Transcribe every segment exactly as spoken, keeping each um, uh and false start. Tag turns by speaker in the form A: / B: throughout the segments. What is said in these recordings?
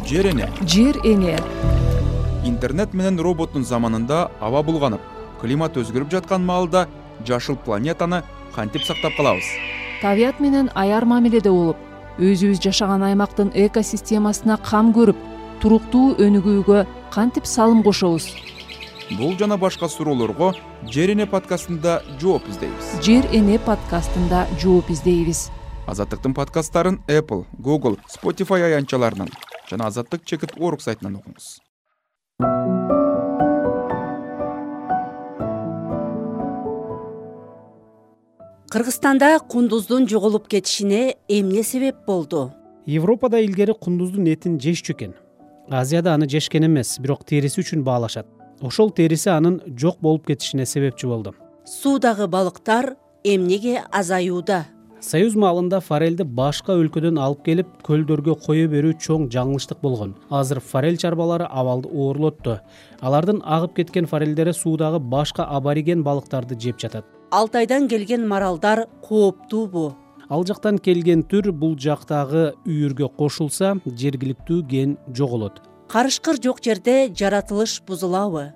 A: Жер эне.
B: Жер эне.
A: Интернет менен роботтун заманында аба булганып, климат өзгөрүп жаткан маалда жашыл планетаны кантип сактап калабыз?
B: Табият менен аяр мамиледе болуп, өзүбүз жашаган аймактын экосистемасына кам көрүп, туруктуу өнүгүүгө кантип салым кошобуз?
A: Бул жана башка суроолорго Жер эне подкастында жооп издейбиз.
B: Жер эне подкастында жооп издейбиз.
A: Азаттыктын подкасттарын Apple, Google, Spotify аянтчаларынан жана Азаттык чекит точка орг сайтынан окуңуз.
C: Кыргызстанда кундуздун жоголуп кетишине эмне себеп болду?
D: Европада илгери кундуздун этин жешчү экен. Азияда аны жешкен эмес, бирок териси үчүн баалашат. Ошол териси анын жок болуп кетишине себепчи болду.
C: Суудагы балыктар эмнеге азаюуда?
D: Союз маалында форелди башка өлкөдөн алып келип көлдөргө кое берүү чоң жаңылыштык болгон. Азыр форель чарбалары абалды оорлотту. Алардын агып кеткен форелдери суудагы башка абориген балыктарды жеп жатат.
C: Алтайдан келген маралдар кооптуубу?
D: Ал жактан келген түр бул жактагы үйүргө кошулса, жергиликтүү ген жоголот.
C: Карышкыр жок жерде жаратылыш бузулабы?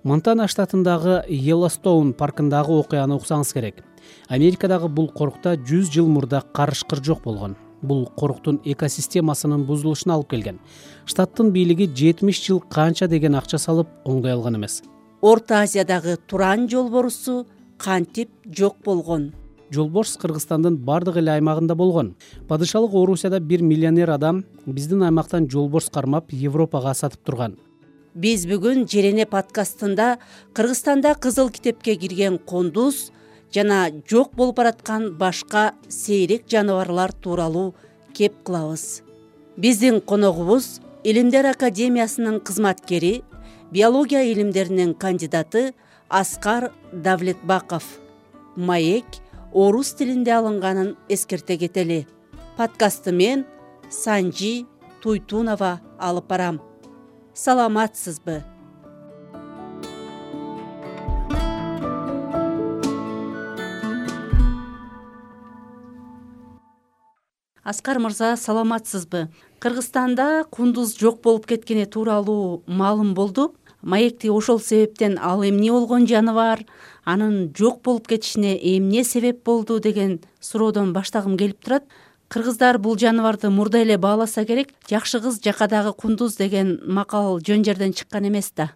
D: Монтана штатындагы Йеллоустоун паркындагы окуяны уксаңыз керек. Америкадагы бул корукта жүз жыл мурда карышкыр жок болгон. Бул коруктун экосистемасынын бузулушуна алып келген. Штаттын бийлиги жетимиш жыл канча деген акча салып оңдой алган эмес.
C: Орто Азиядагы туран жолборусу кантип жок болгон?
D: Жолборс Кыргызстандын бардык эле аймагында болгон. Падышалык Орусияда бир миллионер адам биздин аймактан жолборс кармап Европага сатып турган.
C: Биз бүгүн Жер эне подкастында Кыргызстанда кызыл китепке кирген кундуз жана жок болуп бараткан башка сейрек жаныбарлар тууралуу кеп кылабыз. Биздин коногубуз Илимдер академиясынын кызматкери, биология илимдеринин кандидаты Аскар Давлетбаков. Маек орус тилинде алынганын эскерте кетели. Подкастты мен Санжи Туйтунова алып барам. Саламатсызбы? Аскар мырза, саламатсызбы? Кыргызстанда кундуз жок болуп кеткени тууралуу маалым болду. Маекти ошол себептен ал эмне болгон жаныбар, анын жок болуп кетишине эмне себеп болду деген суроодон баштагым келип турат. Кыргыздар бул жаныбарды мурда эле бааласа керек. Жакшы кыз жакадагы кундуз деген макал жөн жерден чыккан эмес да.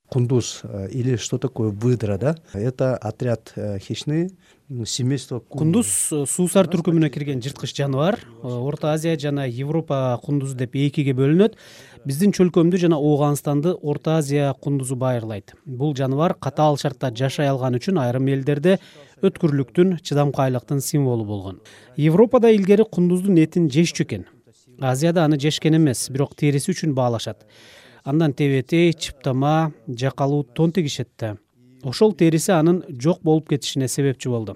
E: Кундуз или что такое выдра, да? Это отряд хищный, семейство.
D: Кундуз суусар түркүмүнө кирген жырткыч жаныбар. Орто Азия жана Европа кундузу деп экиге бөлүнөт. Биздин чөлкөмдү жана Ооганстанды Орто Азия кундузу байырлайт. Бул жаныбар катаал шартта жашай алган үчүн айрым элдерде өткүрлүктүн, чыдамкайлыктын символу болгон. Европада илгери кундуздун этин жешчү экен. Азияда аны жешкен эмес, бирок териси үчүн баалашат. Андан тебетей, чыптама, жакалуу тон тигишет да. Ошол териси анын жок болуп кетишине себепчи болду.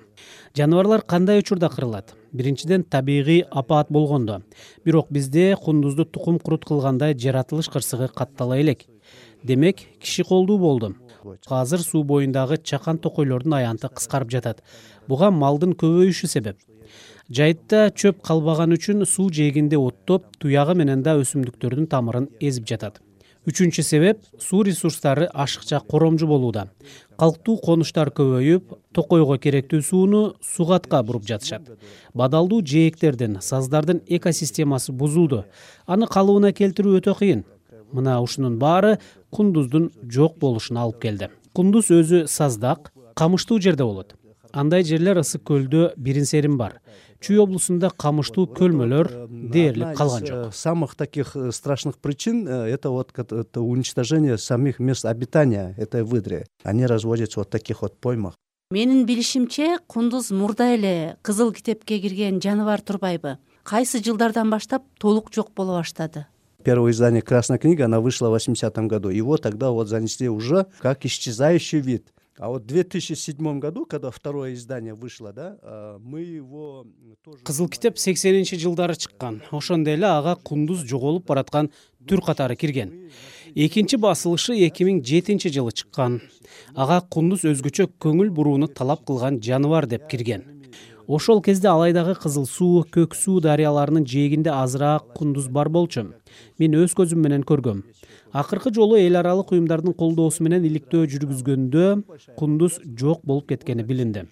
D: Жаныбарлар кандай учурда кырылат? Биринчиден, табигый апаат болгондо. Бирок бизде кундузду тукум курут кылгандай жаратылыш кырсыгы каттала элек. Демек, киши колдуу болду. Азыр суу боюндагы чакан токойлордун аянты кыскарып жатат. Буга малдын көбөйүшү себеп. Жайытта чөп калбаган үчүн суу жээгинде оттоп, туягы менен да өсүмдүктөрдүн тамырын эзип жатат. Үчүнчү себеп — суу ресурстары ашыкча коромжу болууда. Калктуу конуштар көбөйүп, токойго керектүү сууну сугатка буруп жатышат. Бадалдуу жээктердин, саздардын экосистемасы бузулду. Аны калыбына келтирүү өтө кыйын. Мына ушунун баары кундуздун жок болушуна алып келди. Кундуз өзү саздак, камыштуу жерде болот. Андай жерлер ысык көлдө бирин-серин бар. Чүй облусунда камыштуу көлмөлөр дээрлик калган жок.
E: Самых таких страшных причин это вот это уничтожение самих мест обитания этой выдры. Они разводятся вот таких вот поймах.
C: Менин билишимче, кундуз мурда эле кызыл китепке кирген жаныбар турбайбы? Кайсы жылдардан баштап толук жок боло баштады?
E: Первое издание «Красная книга», она вышла в восьмидесятом году. Его тогда вот занесли уже как исчезающий вид. А вот в две тысячи седьмом году, когда второе издание вышло, да, мы его тоже...
D: Кызыл китеп сексенинчи жылдары чыккан. Ошондо эле ага кундуз жоголуп бараткан түр катары кирген. Экинчи басылышы эки миң жетинчи жылы чыккан. Ага кундуз өзгөчө көңүл бурууну талап кылган жаныбар деп кирген. Ошол кезде Алайдагы Кызыл суу, Көк суу дарыяларынын жээгинде азыраак кундуз бар болчу. Мен өз көзүм менен көргөм. Акыркы жолу эл аралык уюмдардын колдоосу менен иликтөө жүргүзгөндө кундуз жок болуп кеткени билинди.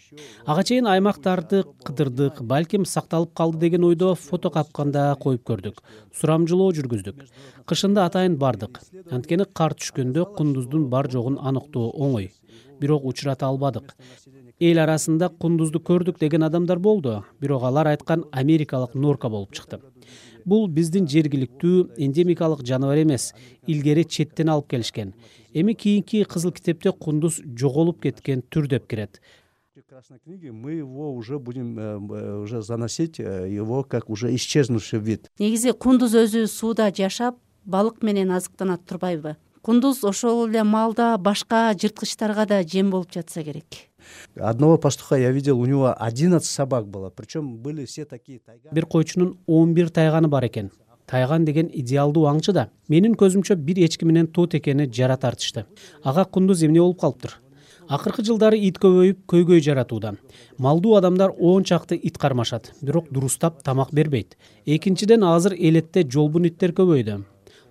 D: Ага чейин аймактарды кыдырдык, балким сакталып калды деген ойдо фото капканда коюп көрдүк. Сурамжылоо жүргүздүк. Кышында атайын бардык. Анткени кар түшкөндө кундуздун бар жогун аныктоо оңой. Бирок учурата албадык. Эл арасында кундузду көрдүк деген адамдар болду, бирок алар айткан америкалык норка болуп чыкты. Бул биздин жергиликтүү эндемикалык жаныбар эмес, илгери четтен алып келишкен. Эми кийинки кызыл китепте кундуз жоголуп кеткен түр деп кирет.
E: В Красной книге мы его уже будем э, уже заносить э, его как уже исчезнувший вид.
C: Негизи кундуз өзү сууда жашап, балык менен азыктанат турбайбы? Кундуз ошол эле маалда башка жырткычтарга да жем болуп жатса керек.
E: Одного пастуха я видел, у него одиннадцать собак было, причем были все такие тайганы.
D: Бир койчунун он бир тайганы бар экен. Тайган деген идеалдуу аңчы да. Менин көзүмчө бир эчки менен тот экени жара тартышты. Ага кундуз эмне болуп калыптыр? Акыркы жылдары ит көбөйүп, көйгөй жаратууда. Малдуу адамдар он чакты ит кармашат, бирок дурустап тамак бербейт. Экинчиден, азыр элетте жолбун иттер көбөйдү.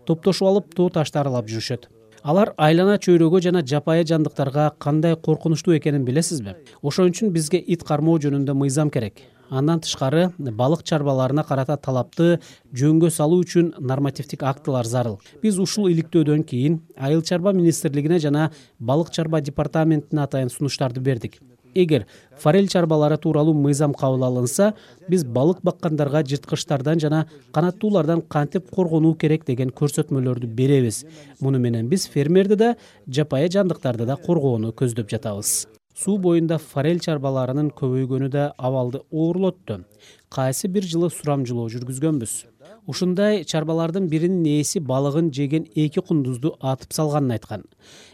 D: Топтошуп алып тоо ташты аралап жүрүшөт. Алар айлана чөйрөгө жана жапайы жандыктарга кандай коркунучтуу экенин билесизби? Ошон үчүн бизге ит кармоо жөнүндө мыйзам керек. Андан тышкары балык чарбаларына карата талапты жөнгө салуу үчүн нормативдик актылар зарыл. Биз ушул иликтөөдөн кийин Айыл чарба министрлигине жана балык чарба департаментине атайын сунуштарды бердик. Эгер форель чарбалары тууралуу мыйзам кабыл алынса, биз балык баккандарга жырткычтардан жана канаттуулардан кантип коргонуу керек деген көрсөтмөлөрдү беребиз. Муну менен биз фермерди да, жапайы жандыктарды да коргоону көздөп жатабыз. Суу боюнда форель чарбаларынын көбөйгөнү да абалды оорлотту. Кайсы бир жылы сурамжылоо жүргүзгөнбүз. Ушундай чарбалардын биринин ээси балыгын жеген эки кундузду атып салганын айткан.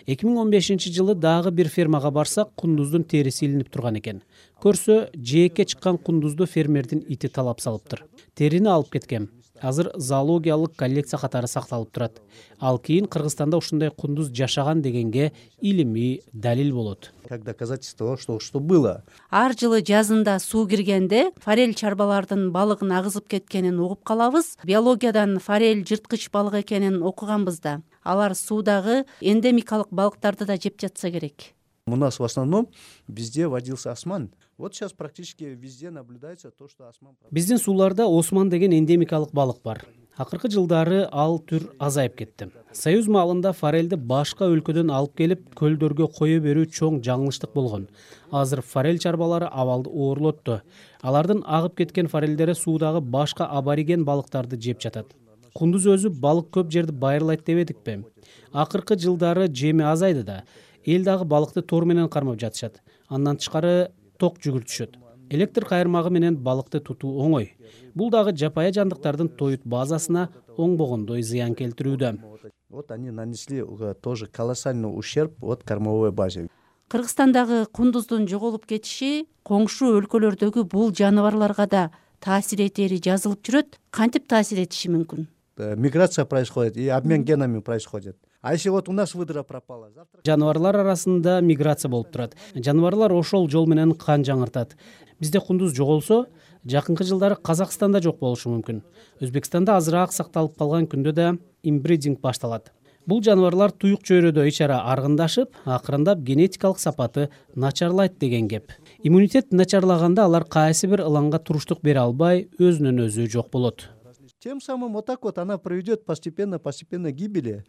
D: эки миң он бешинчи жылы дагы бир фермага барсак, кундуздун териси илинип турган экен. Көрсө, жээкке чыккан кундузду фермердин ити талап салыптыр. Терини алып кеткен. Азыр зоологиялык коллекция катары сакталып турат. Ал кийин Кыргызстанда ушундай кундуз жашаган дегенге илимий далил болот.
E: Как доказательство, что что было.
C: Ар жылы жазында суу киргенде форель чарбалардын балыгын агызып кеткенин угуп калабыз. Биологиядан форель жырткыч балык экенин окуганбыз да. Алар суудагы эндемикалык балыктарды да жеп жатса керек.
E: У нас в основном везде водился осман. Вот сейчас практически везде наблюдается то, что осман.
D: Биздин сууларда осман деген эндемикалык балык бар. Акыркы жылдары ал түр азайып кетти. Союз маалында форельди башка өлкөдөн алып келип көлдөргө кое берүү чоң жаңылыштык болгон. Азыр форель чарбалары абалды оорлотту. Алардын агып кеткен форельдери суудагы башка абориген балыктарды жеп жатат. Кундуз өзү балык көп жерди байырлайт дебедикпи? Акыркы жылдары жеми азайды да. Эл дагы балыкты тор менен кармап жатышат. Андан тышкары ток жүгүртүшөт. Электр кайырмагы менен балыкты тутуу оңой. Бул дагы жапайы жандыктардын тоют базасына оңбогондой зыян келтирүүдө.
E: Вот они нанесли тоже колоссальный ущерб от кормовой базе.
C: Кыргызстандагы кундуздун жоголуп кетиши коңшу өлкөлөрдөгү бул жаныбарларга да таасир этери жазылып жүрөт. Кантип таасир этиши мүмкүн?
E: Миграция происходит и обмен генами происходит. А если вот у нас выдра пропала, завтра...
D: Жаныбарлар арасында миграция болуп турат. Жаныбарлар ошол жол менен кан жаңыртат. Бизде кундуз жоголсо, жакынкы жылдары Казакстанда жок болушу мүмкүн. Өзбекстанда азыраак сакталып калган күндө да инбридинг башталат. Бул жаныбарлар туюк чөйрөдө ичара аргындашып, акырындап генетикалык сапаты начарлайт деген кеп. Иммунитет начарлаганда алар кайсы бир ылаңга туруштук бере албай, өзүнөн өзү жок болот.
E: Тем самым вот так вот она приведет постепенно, постепенно к гибели.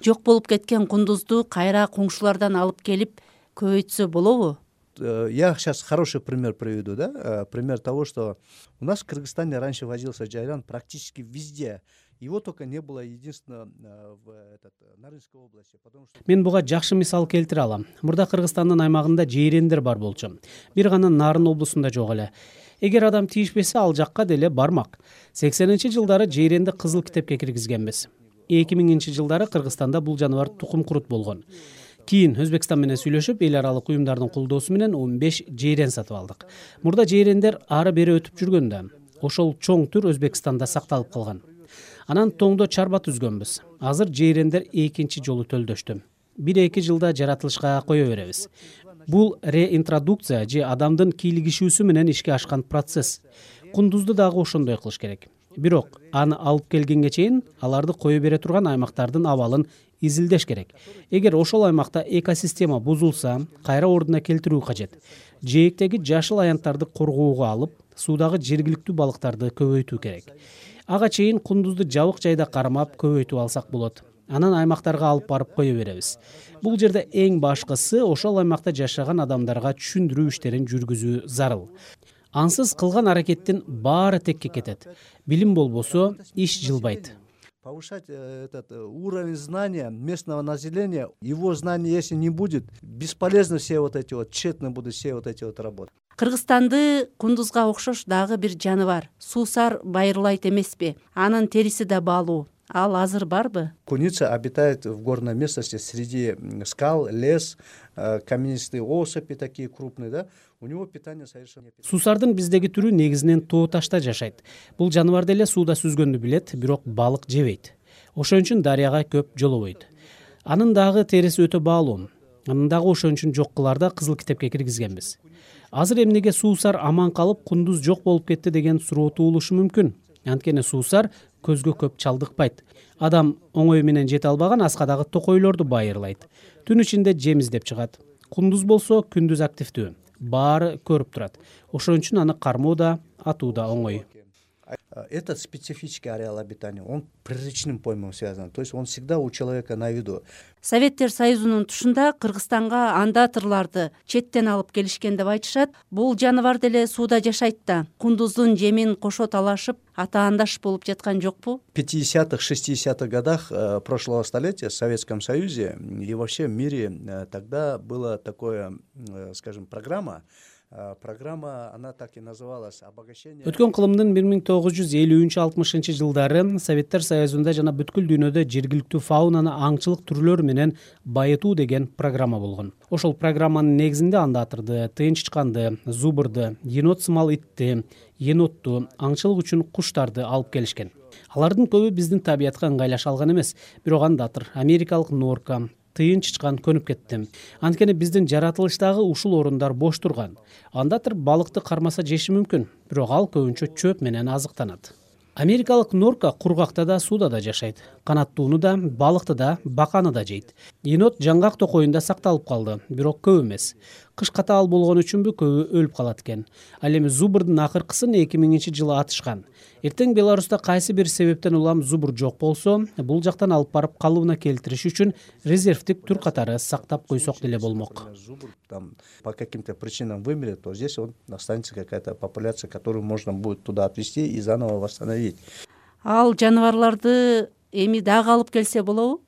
C: Жок болуп кеткен кундузду кайра коңшулардан алып келип көбөйтсө болобу?
E: Я сейчас хороший пример приведу, да? Пример того, что у нас в Кыргызстане раньше возился джайран практически везде. Его только не было единственно в этот Нарынской области, потому что...
D: Мен буга жакшы мисал келтире алам. Мурда Кыргызстандын аймагында жейрендер бар болчу. Бир гана Нарын облусунда жок эле. Эгер адам тийишпесе, ал жакка деле бармак. сексенинчи жылдары жейренди кызыл китепке киргизгенбиз. эки миңинчи жылдары Кыргызстанда бул жаныбар тукум курут болгон. Кийин Өзбекстан менен сүйлөшүп, эл аралык уюмдардын колдоосу менен он беш жейрен сатып алдык. Мурда жейрендер ары бери өтүп жүргөндө, ошол чоң түр Өзбекстанда сакталып калган. Анан тоңдо чарба түзгөнбүз. Азыр жейрендер экинчи жолу төлдөштү. бир эки жылда жаратылышка кое беребиз. Бул реинтродукция же адамдын кийлигишүүсү менен ишке ашкан процесс. Кундузду дагы ошондой кылыш керек. Бирок аны алып келгенге чейин аларды кое бере турган аймактардын абалын изилдеш керек. Эгер ошол аймакта экосистема бузулса, кайра ордуна келтирүү кажет. Жээктеги жашыл аянттарды коргоого алып, суудагы жергиликтүү балыктарды көбөйтүү керек. Ага чейин кундузду жабык жайда кармап көбөйтүп алсак болот. Анан аймактарга алып барып кое беребиз. Бул жерде эң башкысы ошол аймакта жашаган адамдарга түшүндүрүү иштерин жүргүзүү зарыл. Ансыз кылган аракеттин баары текке кетет. Билим болбосо, иш жылбайт.
E: Повышать этот уровень знания местного населения, его знания если не будет, бесполезно все вот эти вот, тщетно будут все вот эти вот работы.
C: Кыргызстанды кундузга окшош дагы бир жаныбар суусар байырлайт эмеспи? Анын териси да баалуу. Ал азыр барбы?
E: Куница обитает в горной местности среди скал, лес, каменистые осыпи такие крупные, да? У него питание совершенно...
D: Суусардын биздеги түрү негизинен тоо ташта жашайт. Бул жаныбар деле сууда сүзгөндү билет, бирок балык жебейт. Ошон үчүн дарыяга көп жолобойт. Анын дагы териси өтө баалуу. Анын дагы ошон үчүн жок кыларда кызыл китепке киргизгенбиз. Азыр эмнеге суусар аман калып, кундуз жок болуп кетти деген суроо туулушу мүмкүн. Анткени суусар көзгө көп чалдыкпайт. Адам оңой менен жете албаган аскадагы токойлорду байырлайт. Түн ичинде жем издеп чыгат. Кундуз болсо күндүз активдүү. Баары көрүп турат. Ошон үчүн аны кармоо да, атуу да оңой.
E: Этот специфический ареал обитания, он приречным поймом связан, то есть он всегда у человека на виду.
C: Советтер Союзунун тушунда Кыргызстанга андатырларды четтен алып келишкен деп айтышат. Бул жаныбар деле сууда жашайт да. Кундуздун жемин кошо талашып, атаандаш болуп жаткан жокпу?
E: В пятидесятых, шестидесятых годах прошлого столетия в Советском Союзе и вообще в мире тогда была такая, скажем, программа, Программа, она так и называлась, обогащение.
D: Өткөн кылымдын бир миң тогуз жүз элүүнчү алтымышынчы жылдары Советтер Союзунда жана бүткүл дүйнөдө жергиликтүү фаунаны аңчылык түрлөрү менен байытуу деген программа болгон. Ошол программанын негизинде андатырды, тыйынчычканды, зубырды, енот сымал итти, енотту, аңчылык үчүн куштарды алып келишкен. Алардын көбү биздин табиятка ыңгайлаша алган эмес, бирок андатыр, америкалык норка, тыйынчычкан көнүп кетти. Анткени биздин жаратылыштагы ушул орундар бош турган. Андатыр балыкты кармаса жеши мүмкүн, бирок ал көбүнчө чөп менен азыктанат. Америкалык норка кургакта да, сууда да жашайт. Канаттууну да, балыкты да, баканы да жейт. Енот жаңгак токоюнда сакталып калды, бирок көп эмес. Кыш катаал болгон үчүнбү көбү өлүп калат экен. Ал эми зубурдун акыркысын эки миңинчи жылы атышкан. Эртең Беларуста кайсы бир себептен улам зубур жок болсо, бул жактан алып барып калыбына келтириш үчүн резервдик түр катары сактап койсок деле болмок.
E: Зубр там по каким-то причинам вымрет, то здесь он останется какая-то популяция, которую можно будет туда отвезти и заново восстановить.
C: Ал жаныбарларды эми дагы алып келсе болобу?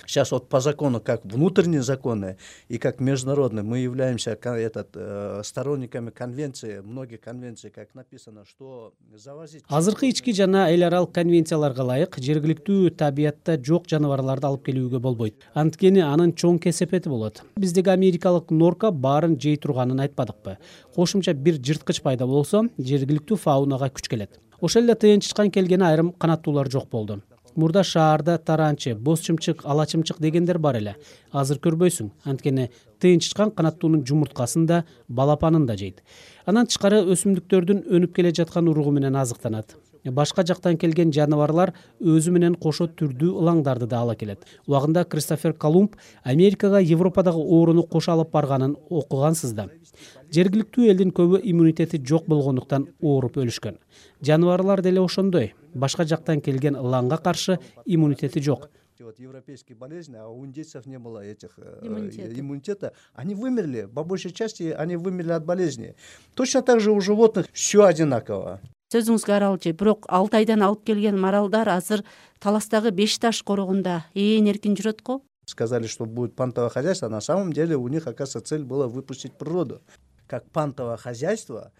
E: Сейчас вот по закону, как внутренние законы и как международные, мы являемся этот, э, сторонниками конвенции, многих конвенций, как написано, что завозить...
D: Азыркы ички жана эл аралык конвенцияларга ылайык жергиликтүү табиятта жок жаныбарларды алып келүүгө болбойт. Анткени анын чоң кесепети болот. Биздеги америкалык норка баарын жей турганын айтпадыкпы? Кошумча бир жырткыч пайда болсо, жергиликтүү фаунага күч келет. Ошол эле тыйынчычкан келгени айрым канаттуулар жок болду. Мурда шаарда таранчы, боз чымчык, ала чымчык дегендер бар эле. Азыр көрбөйсүң, анткени тыйынчычкан канаттуунун жумурткасын да, балапанын да жейт. Анан тышкары өсүмдүктөрдүн өнүп келе жаткан уругу менен азыктанат. Башка жактан келген жаныбарлар өзү менен кошо түрдүү ылаңдарды да ала келет. Убагында Кристофер Колумб Америкага Европадагы ооруну кошо алып барганын окугансыз да. Жергиликтүү элдин көбү иммунитети жок болгондуктан ооруп өлүшкөн. Жаныбарлар деле ошондой. Башка жактан келген ылаңга каршы иммунитети жок.
E: Вот европейские болезни, а у индейцев не было этих иммунитета. иммунитета. Они вымерли, по большей части они вымерли от болезни. Точно так же у животных все одинаково.
C: Сөзүңүзгө аралчы, бирок алты айдан алып келген маралдар азыр Таластагы Беш таш корогунда ээн эркин жүрөт го.
E: Сказали, что будет пантовое хозяйство, а на самом деле у них, оказывается, цель была выпустить природу. Как пантовое хозяйство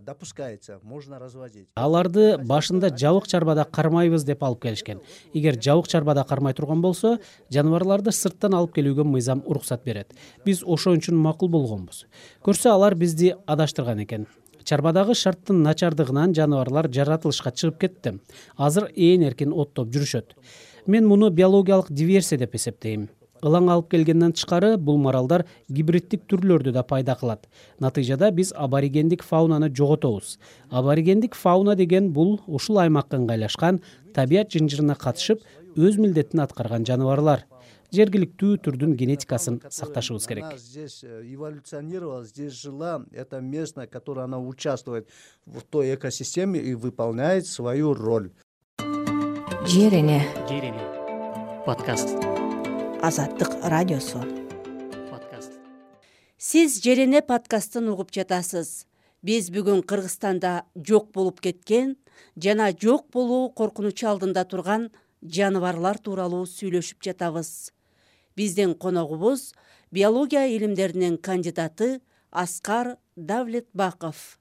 E: допускается, можно разводить.
D: Аларды башында жабык чарбада кармайбыз деп алып келишкен. Эгер жабык чарбада кармай турган болсо, жаныбарларды сырттан алып келүүгө мыйзам уруксат берет. Биз ошон үчүн макул болгонбуз. Көрсө алар бизди адаштырган экен. Чарбадагы шарттын начардыгынан жаныбарлар жаратылышка чыгып кетти. Азыр ээн эркин оттоп жүрүшөт. Мен муну биологиялык диверсия деп эсептейм. ылаң алып келгенден тышкары бул маралдар гибриддик түрлөрдү да пайда кылат. Натыйжада биз аборигендик фаунаны жоготобуз. Аборигендик фауна деген бул ушул аймакка ыңгайлашкан, табият жынжырына катышып, өз милдетин аткарган жаныбарлар. Жергиликтүү түрдүн генетикасын сакташыбыз керек.
E: Она здесь эволюционировала, здесь жила, это местная, которая она участвует в той экосистеме и выполняет свою роль.
F: Жер эне
D: Жер эне подкаст.
F: Азаттык радиосу.
D: Подкаст.
C: Сиз Жер эне подкастын угуп жатасыз. Биз бүгүн Кыргызстанда жок болуп кеткен жана жок болуу коркунучу алдында турган жаныбарлар тууралуу сүйлөшүп жатабыз. Биздин коногубуз биология илимдеринин кандидаты Аскар Давлетбаков.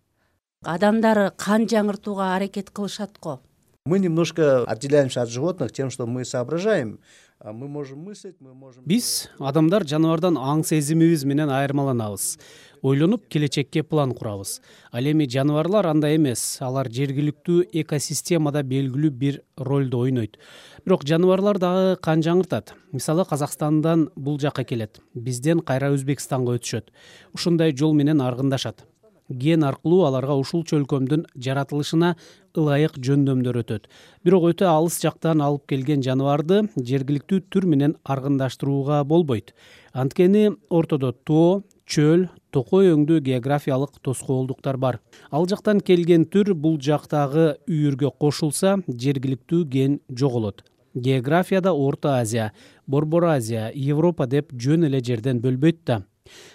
C: Адамдар кан жаңыртууга аракет кылышат го.
E: Мы немножко отделяемся от животных тем, что мы соображаем. Мы можем мыслить, мы можем...
D: Биз адамдар жаныбардан аң сезимибиз менен айырмаланабыз. Ойлонуп келечекке план курабыз. Ал эми жаныбарлар андай эмес. Алар жергиликтүү экосистемада белгилүү бир ролду ойнойт. Бирок жаныбарлар дагы кан жаңыртат. Мисалы Казакстандан бул жакка келет. Бизден кайра Өзбекстанга өтүшөт. Ушундай жол менен аргындашат. Ген аркылуу аларга ушул чөлкөмдүн жаратылышына ылайык жөндөмдөр өтөт. Бирок өтө алыс жактан алып келген жаныбарды жергиликтүү түр менен аргындаштырууга болбойт. Анткени ортодо тоо, чөл, токой өңдүү географиялык тоскоолдуктар бар. Ал жактан келген түр бул жактагы үйүргө кошулса, жергиликтүү ген жоголот. Географияда Орто Азия, Борбор Азия, Европа деп жөн эле жерден бөлбөйт да.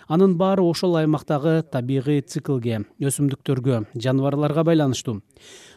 D: Анын баары ошол аймактагы табигый циклге, өсүмдүктөргө, жаныбарларга байланыштуу.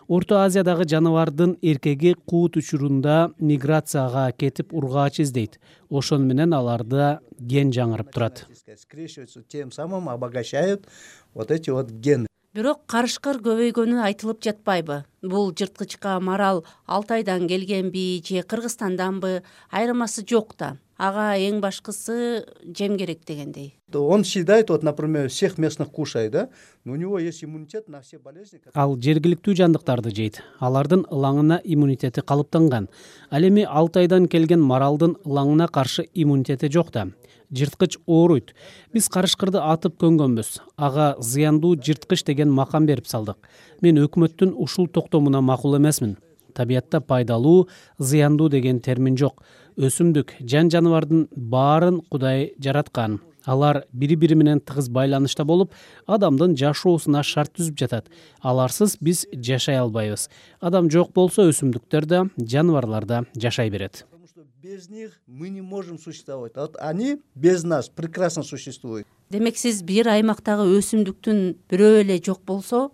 D: Орто Азиядагы жаныбардын эркеги куут учурунда миграцияга кетип ургаач издейт. Ошон менен аларда ген жаңырып турат.
E: Скрещиваются, тем самым обогащают вот эти вот гены.
C: Бирок карышкыр көбөйгөнү айтылып жатпайбы? Бул жырткычка марал Алтайдан келгенби же Кыргызстанданбы? Айырмасы жок да. Ага эң башкысы жем керек дегендей.
E: Он съедает, вот, например, всех местных кушает, да? Но у него есть иммунитет на все болезни.
D: Ал жергиликтүү жандыктарды жейт. Алардын ылаңына иммунитети калыптанган. Ал эми Алтайдан келген маралдын ылаңына каршы иммунитети жок да. Жырткыч ооруйт. Биз карышкырды атып көнгөнбүз. Ага зыяндуу жырткыч деген макам берип салдык. Мен өкмөттүн ушул токтомуна макул эмесмин. Табиятта пайдалуу, зыяндуу деген термин жок. Өсүмдүк, жан жаныбардын баарын Кудай жараткан. Алар бири-бири менен тыгыз байланышта болуп, адамдын жашоосуна шарт түзүп жатат. Аларсыз биз жашай албайбыз. Адам жок болсо өсүмдүктөр да, жаныбарлар да жашай берет.
E: Потому что без них мы не можем существовать. А вот они без нас прекрасно существуют.
C: Демек сиз бир аймактагы өсүмдүктүн бирөө эле жок болсо,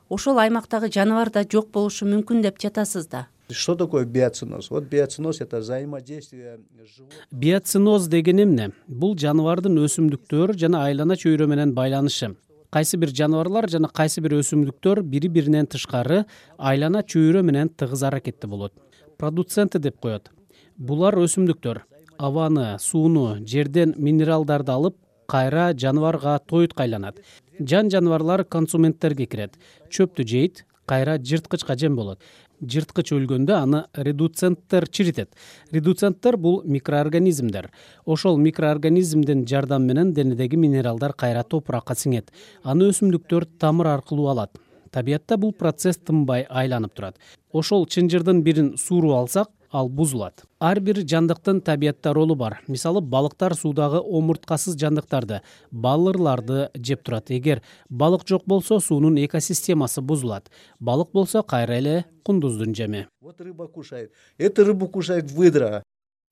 C: ошол аймактагы жаныбар да жок болушу мүмкүн деп жатасыз да.
E: Что такое биоциноз? Вот биоциноз — это взаимодействие животных.
D: Биоциноз деген эмне? Бул жаныбардын өсүмдүктөр жана айлана чөйрө менен байланышы. Кайсы бир жаныбарлар жана кайсы бир өсүмдүктөр бири-биринен тышкары айлана чөйрө менен тыгыз аракетте болот. Продуценты деп коет. Булар өсүмдүктөр абаны, сууну, жерден минералдарды алып, кайра жаныбарга тоютка айланат. Жан жаныбарлар консументтерге кирет. Чөптү жейт, кайра жырткычка жем болот. Жырткыч өлгөндө аны редуценттер чиритет. Редуценттер бул микроорганизмдер. Ошол микроорганизмдин жардамы менен денедеги минералдар кайра топуракка сиңет. Аны өсүмдүктөр тамыр аркылуу алат. Табиятта бул процесс тынбай айланып турат. Ошол чынжырдын бирин сууруп алсак, ал бузулат. Ар бир жандыктын табиятта ролу бар. Мисалы, балыктар суудагы омурткасыз жандыктарды, балырларды жеп турат. Эгер балык жок болсо, суунун экосистемасы бузулат. Балык болсо кайра эле кундуздун жеми.
E: Вот рыба кушает. Эту рыбу кушает выдра.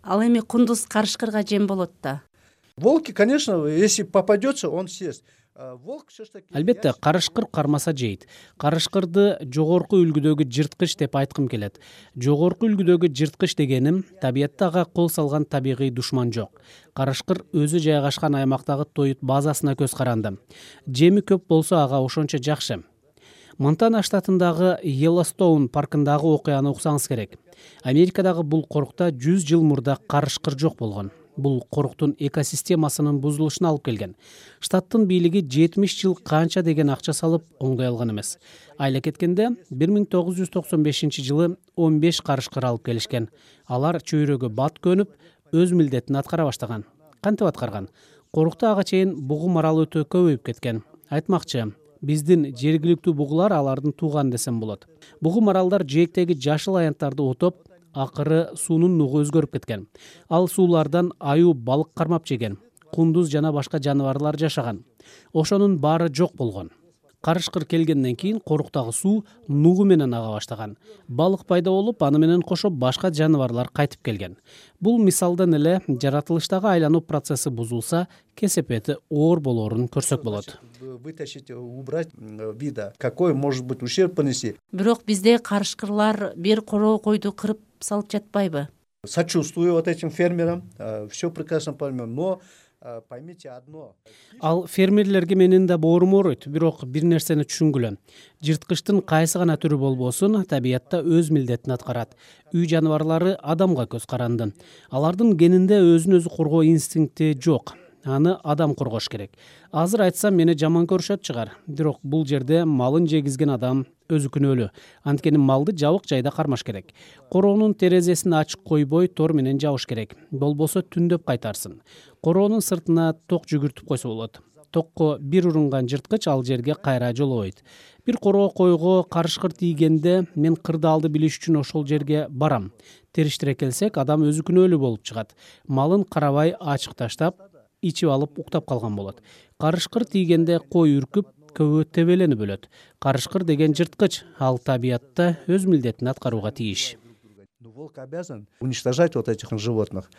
C: Ал эми кундуз карышкырга жем болот да.
E: Волки, конечно, если попадется, он съест. Волк все-таки...
D: Албетте, карышкыр кармаса жейт. Карышкырды жогорку үлгүдөгү жырткыч деп айткым келет. Жогорку үлгүдөгү жырткыч дегеним, табиятта ага кол салган табигый душман жок. Карышкыр өзү жайгашкан аймактагы тоют базасына көз каранды. Жеми көп болсо ага ошончо жакшы. Монтана штатындагы Йеллоустоун паркындагы окуяны уксаңыз керек. Америкадагы бул корукта жүз жыл мурда карышкыр жок болгон. Бул коруктун экосистемасынын бузулушуна алып келген. Штаттын бийлиги жетимиш жыл канча деген акча салып оңдой алган эмес. Айла кеткенде бир миң тогуз жүз токсон бешинчи жылы он беш карышкыр алып келишкен. Алар чөйрөгө бат көнүп, өз милдетин аткара баштаган. кантип аткарган? Корукта ага чейин бугу марал өтө көбөйүп кеткен. Айтмакчы, биздин жергиликтүү бугулар алардын тууганы десем болот. Бугу маралдар жээктеги жашыл аянттарды отоп, акыры суунун нугу өзгөрүп кеткен. Ал суулардан аюу балык кармап жеген, кундуз жана башка жаныбарлар жашаган. Ошонун баары жок болгон. Карышкыр келгенден кийин коруктагы суу нугу менен ага баштаган. Балык пайда болуп, аны менен кошо башка жаныбарлар кайтып келген. Бул мисалдан эле жаратылыштагы айлануу процесси бузулса, кесепети оор болоорун көрсөк болот.
E: Вытащить, убрать вида, какой может быть ущерб понести.
C: Бирок бизде карышкырлар бир короо койду кырып салып жатпайбы?
E: Сочувствую вот этим фермерам, все прекрасно поймем, но поймите одно.
D: Ал фермерлерге менин да боорум ооруйт, бирок бир нерсени түшүнгүлө. Жырткычтын кайсы гана түрү болбосун, табиятта өз милдетин аткарат. Үй жаныбарлары адамга көз каранды. Алардын генинде өзүн өзү коргоо инстинкти жок. Аны адам коргош керек. Азыр айтсам мени жаман көрүшөт чыгар. Бирок бул жерде малын жегизген адам өзү күнөөлүү. Анткени малды жабык жайда кармаш керек. Короонун терезесин ачык койбой тор менен жабыш керек. Болбосо түндөп кайтарсын. Короонун сыртына ток жүгүртүп койсо болот. Токко бир урунган жырткыч ал жерге кайра жолобойт. Бир короо койго карышкыр тийгенде мен кырдаалды билиш үчүн ошол жерге барам. Териштире келсек, адам өзү күнөөлүү болуп чыгат. Малын карабай ачык таштап, ичип алып уктап калган болот. Карышкыр тийгенде кой үркүп, көбө тебеленип өлөт. Карышкыр деген жырткыч, ал табиятта өз милдетин аткарууга тийиш.
E: Волк обязан уничтожать вот этих животных.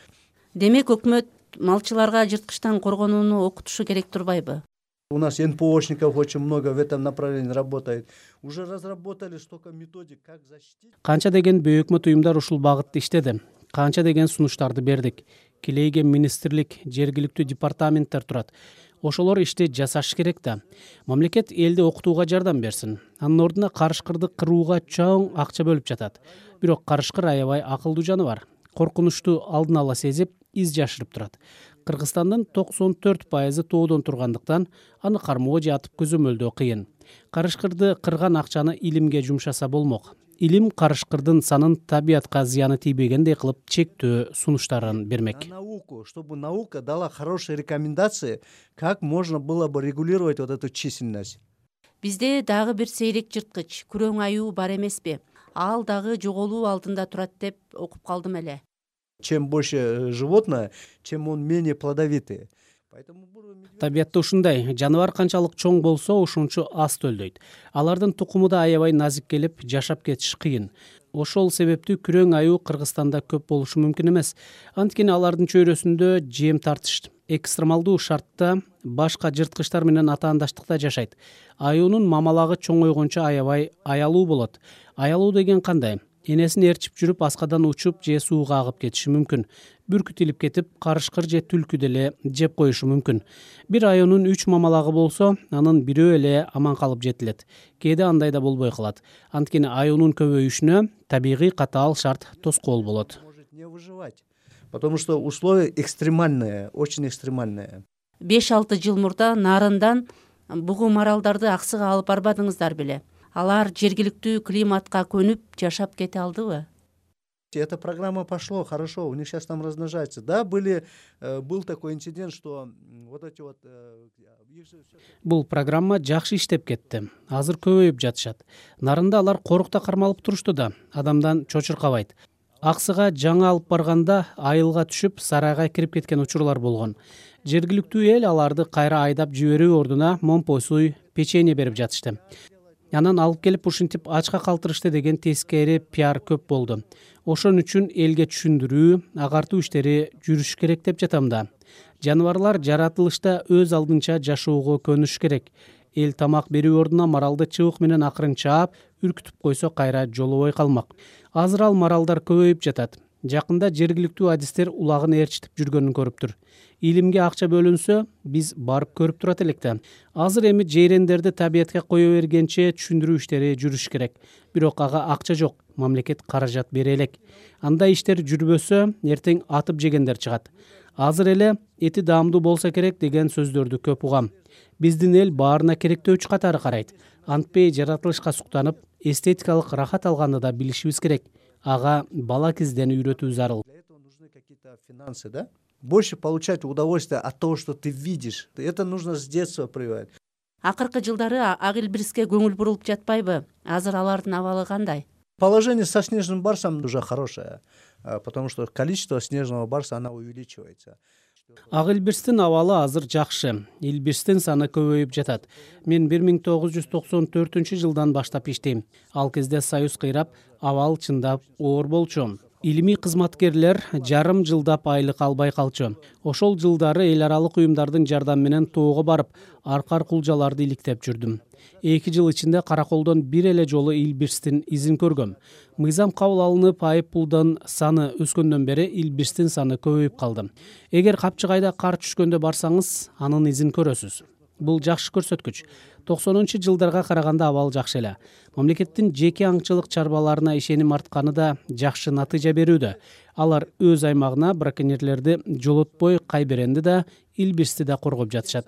C: Демек өкмөт малчыларга жырткычтан коргонууну окутушу керек турбайбы?
E: У нас эн пэ ошников очень много в этом направлении работает. Уже разработали столько методик, как защитить.
D: Канча деген бейөкмөт уюмдар ушул багытта иштеди. Канча деген сунуштарды бердик. Килейге министрлик, жергиликтүү департаменттер турат. Ошолор ишти жасаш керек да. Мамлекет элди окутууга жардам берсин. Анын ордуна карышкырды кырууга чоң акча бөлүп жатат. Бирок карышкыр аябай акылдуу жаныбар. Коркунучту алдын ала сезип, из жашырып турат. Кыргызстандын токсон төрт пайызы тоодон тургандыктан аны кармоо же атып көзөмөлдөө кыйын. Карышкырды кырган акчаны илимге жумшаса болмок. Илим карышкырдын санын табиятка зыяны тийбегендей кылып чектөө сунуштарын бермек.
E: На науку, чтобы наука дала хорошие рекомендации, как можно было бы регулировать вот эту численность.
C: Бизде дагы бир сейрек жырткыч, күрөң аюу бар эмеспи? Ал дагы жоголуу алдында турат деп окуп калдым эле.
E: Чем больше животное, чем он менее плодовитый.
D: Табиятта ушундай, жаныбар канчалык чоң болсо, ошончо аз төлдөйт. Алардын тукуму да аябай назик келип, жашап кетиш кыйын. Ошол себептүү күрөң аюу Кыргызстанда көп болушу мүмкүн эмес. Анткени алардын чөйрөсүндө жем тартыш экстремалдуу шартта башка жырткычтар менен атаандаштыкта жашайт. Аюунун мамалагы чоңойгончо аябай аялуу болот. Аялуу деген кандай? Энесин ээрчип жүрүп, аскадан учуп же сууга агып кетиши мүмкүн. Бүркүт илип кетип, карышкыр же түлкү деле жеп коюшу мүмкүн. Бир аюунун үч мамалагы болсо, анын бирөө эле аман калып жетилет. Кээде андай да болбой калат. Анткени аюунун көбөйүшүнө табигый катаал шарт тоскоол болот.
E: Не выживать, потому что условия экстремальные, очень экстремальные.
C: беш алты жыл мурда Нарындан бугу маралдарды аксыга алып барбадыңыздар беле? Алар жергиликтүү климатка көнүп жашап кете алдыбы?
E: Эта программа пошло хорошо, у них сейчас там размножается. Да, были, был такой инцидент, что вот эти вот...
D: Бул программа жакшы иштеп кетти. Азыр көбөйүп жатышат. Нарында алар корукта кармалып турушту да, адамдан чочуркабайт. Аксыга жаңы алып барганда айылга түшүп, сарайга кирип кеткен учурлар болгон. Жергиликтүү эл аларды кайра айдап жиберүү ордуна момпой суй, печенье берип жатышты. Анан алып келип ушинтип ачка калтырышты деген тескери пиар көп болду. Ошон үчүн элге түшүндүрүү, агартуу иштери жүрүш керек деп жатам да. Жаныбарлар жаратылышта өз алдынча жашоого көнүш керек. Эл тамак берүү ордуна маралды чыбык менен акырын чаап, үркүтүп койсо кайра жолобой калмак. Азыр ал маралдар көбөйүп жатат. Жакында жергиликтүү адистер улагын ээрчитип жүргөнүн көрүптүр. Илимге акча бөлүнсө, биз барып көрүп турат элек да. Азыр эми жейрендерди табиятка кое бергенче түшүндүрүү иштери жүрүш керек. Бирок ага акча жок, мамлекет каражат бере элек. Андай иштер жүрбөсө, эртең атып жегендер чыгат. Азыр эле эти даамдуу болсо керек деген сөздөрдү көп угам. Биздин эл баарына керектөөчү катары карайт. Антпей жаратылышка суктанып, эстетикалык рахат алганды да билишибиз керек. Ага бала кезден үйрөтүү зарыл.
E: нужны какие-то финансы, да? Больше получать удовольствие от того, что ты видишь. Это нужно с детства прививать.
C: Акыркы жылдары ак илбириске көңүл бурулуп жатпайбы? Азыр алардын абалы кандай?
E: Положение со снежным барсом уже хорошее, потому что количество снежного барса, она увеличивается.
D: Ак илбирстин абалы азыр жакшы. Илбирстин саны көбөйүп жатат. Мен бир миң тогуз жүз токсон төртүнчү жылдан баштап иштейм. Ал кезде союз кыйрап, абал чындап оор болчу. Илимий кызматкерлер жарым жылдап айлык албай калчу. Ошол жылдары эл аралык уюмдардын жардамы менен тоого барып, аркар кулжаларды иликтеп жүрдүм. Эки жыл ичинде караколдон бир эле жолу илбирстин изин көргөм. Мыйзам кабыл алынып, айып пулдун саны өскөндөн бери илбирстин саны көбөйүп калды. Эгер Капчыгайда кар түшкөндө барсаңыз, анын изин көрөсүз. Бул жакшы көрсөткүч. токсонунчу жылдарга караганда абал жакшы эле. Мамлекеттин жеке аңчылык чарбаларына ишеним артканы да жакшы натыйжа берүүдө. Алар өз аймагына браконьерлерди жолотпой кайберенди да, илбирсти да коргоп жатышат.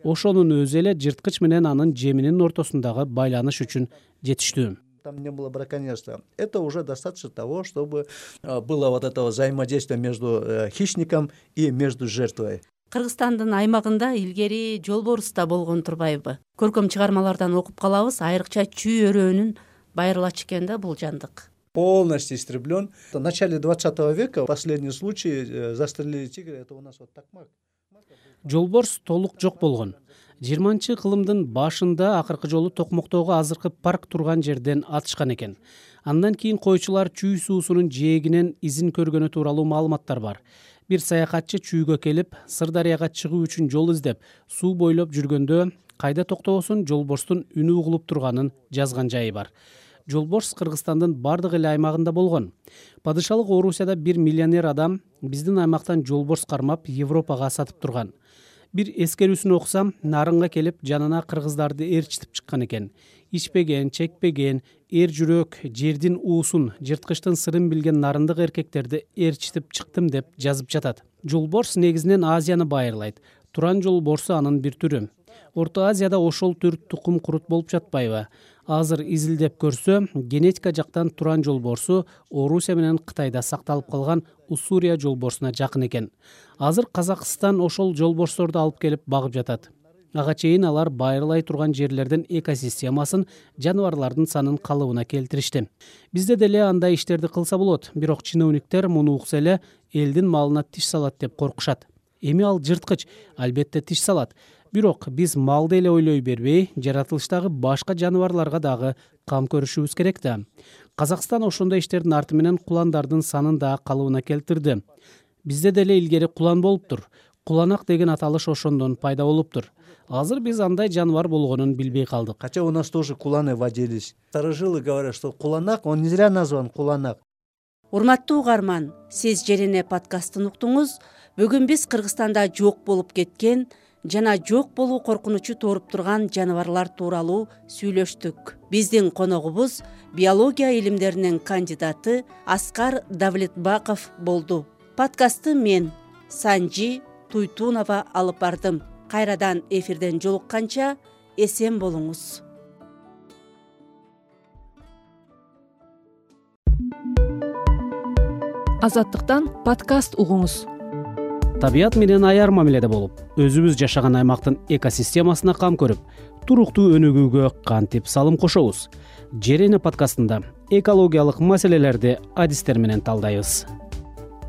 D: Ошонун өзү эле жырткыч менен анын жеминин ортосундагы байланыш үчүн жетиштүү.
E: Там не было браконьерства. Это уже достаточно того, чтобы было вот этого взаимодействия между хищником и между жертвой.
C: Кыргызстандын аймагында илгери жолборус да болгон турбайбы? Көркөм чыгармалардан окуп калабыз, айрыкча чүй өрөөнүн байырылачы экен да бул жандык.
E: Полностью истреблен. В начале двадцатого века последний случай застрелили тигра, это у нас вот такмак.
D: Жолборс толук жок болгон. жыйырманчы кылымдын башында акыркы жолу Токмоктогу азыркы парк турган жерден атышкан экен. Андан кийин койчулар чүй суусунун жээгинен изин көргөнү тууралуу маалыматтар бар. Бир саякатчы чүйгө келип, Сырдарыяга чыгуу үчүн жол издеп, суу бойлоп жүргөндө кайда токтобосун жолборстун үнү угулуп турганын жазган жайы бар. Жолборс Кыргызстандын бардык эле аймагында болгон. Падышалык Орусияда бир миллионер адам биздин аймактан жолборс кармап Европага сатып турган. Бир эскерүүсүн окусам, нарынга келип, жанына кыргыздарды ээрчитип чыккан экен. Ичпеген, чекпеген, эр жүрөк, жердин уусун, жырткычтын сырын билген нарындык эркектерди ээрчитип чыктым деп жазып жатат. Жолборс негизинен Азияны байырлайт. Туран жолборсу анын бир түрү. Орто Азияда ошол түр тукум курут болуп жатпайбы? Азыр изилдеп көрсө, генетика жактан туран жолборсу Орусия менен Кытайда сакталып калган Уссурия жолборсуна жакын экен. Азыр Казакстан ошол жолборсторду алып келип багып жатат. Ага чейин алар байырлай турган жерлердин экосистемасын, жаныбарлардын санын калыбына келтиришти. Бизде деле андай иштерди кылса болот, бирок чиновниктер муну укса эле элдин малына тиш салат деп коркушат. Эми ал жырткыч, албетте тиш салат. Бирок биз малды эле ойлой бербей, жаратылыштагы башка жаныбарларга дагы кам көрүшүбүз керек да. Казакстан ошондой иштердин арты менен куландардын санын да калыбына келтирди. Бизде деле илгери кулан болуптур. Куланак деген аталыш ошондон пайда болуптур. Азыр биз андай жаныбар болгонун билбей калдык.
E: Хотя у нас тоже куланы водились. Старожилы говорят, что куланак, он не зря назван куланак.
C: Урматтуу угарман, сиз Жерене подкастын уктуңуз. Бүгүн биз Кыргызстанда жок болуп кеткен жана жок болуу коркунучу тууруп турган жаныбарлар тууралуу сүйлөштүк. Биздин коногубуз биология илимдеринин кандидаты Аскар Давлетбаков болду. Подкастты мен, Санжи Туйтунова алып бардым. Кайрадан эфирден жолукканча эсен болуңуз.
B: Азаттыктан подкаст угуңуз.
D: Табият менен аяр мамиледе болуп, өзүбүз жашаган аймактын экосистемасына кам көрүп, туруктуу өнүгүүгө кантип салым кошобуз? Жерене подкастында экологиялык маселелерди адистер менен талдайбыз.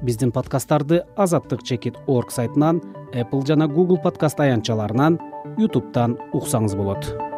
D: Биздин подкасттарды азаттык чекит точка орг сайтынан, Apple жана Google подкаст аянтчаларынан, YouTube'дан уксаңыз болот.